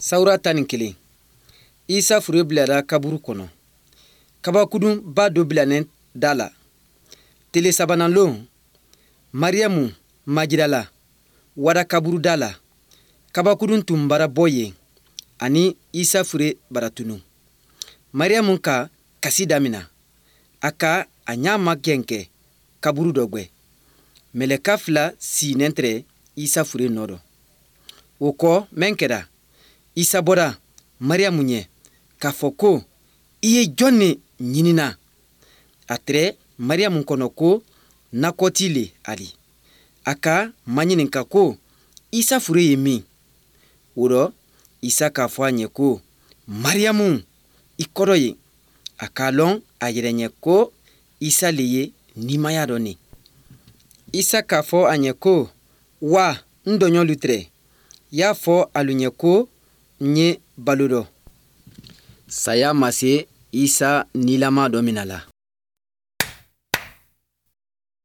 Sawura 11. Isa fure bilara kaburu kɔnɔ. Kabakudunba dɔ bilanen da la. Tele sabanan lon, Mariyamu Majidala wara kaburu da la. Kabakudun tun bara bɔ yen ani Isa fure bara tunu. Mariyamu ka kasi damina. A ka a ɲa magɛn kɛ kaburu dɔ gwɛ. Mɛlɛka fila siinen tɛrɛ Isa fure nɔ dɔ. O kɔ mɛn kɛra, Isa bɔra Mariyamu ɲɛ k'a fɔ ko, i ye jɔn ne ɲinina? A tɛrɛ Mariyamu kɔnɔ ko nakɔti le ali. A ka maɲininka ko, Isa fure ye min? O rɔ, Isa k'a fɔ a ɲɛ ko, Mariyamu, i kɔrɔ ye. A k'a lɔn a yɛrɛ ɲɛ ko Isa le ye nimaya dɔ ne. Isa k'a fɔ a ɲɛ ko, wa n dɔɲɔlu tɛrɛ, y'a fɔ alu ɲɛ ko n ye balo dɔ. Saya ma se Isa nilama dɔ mina la.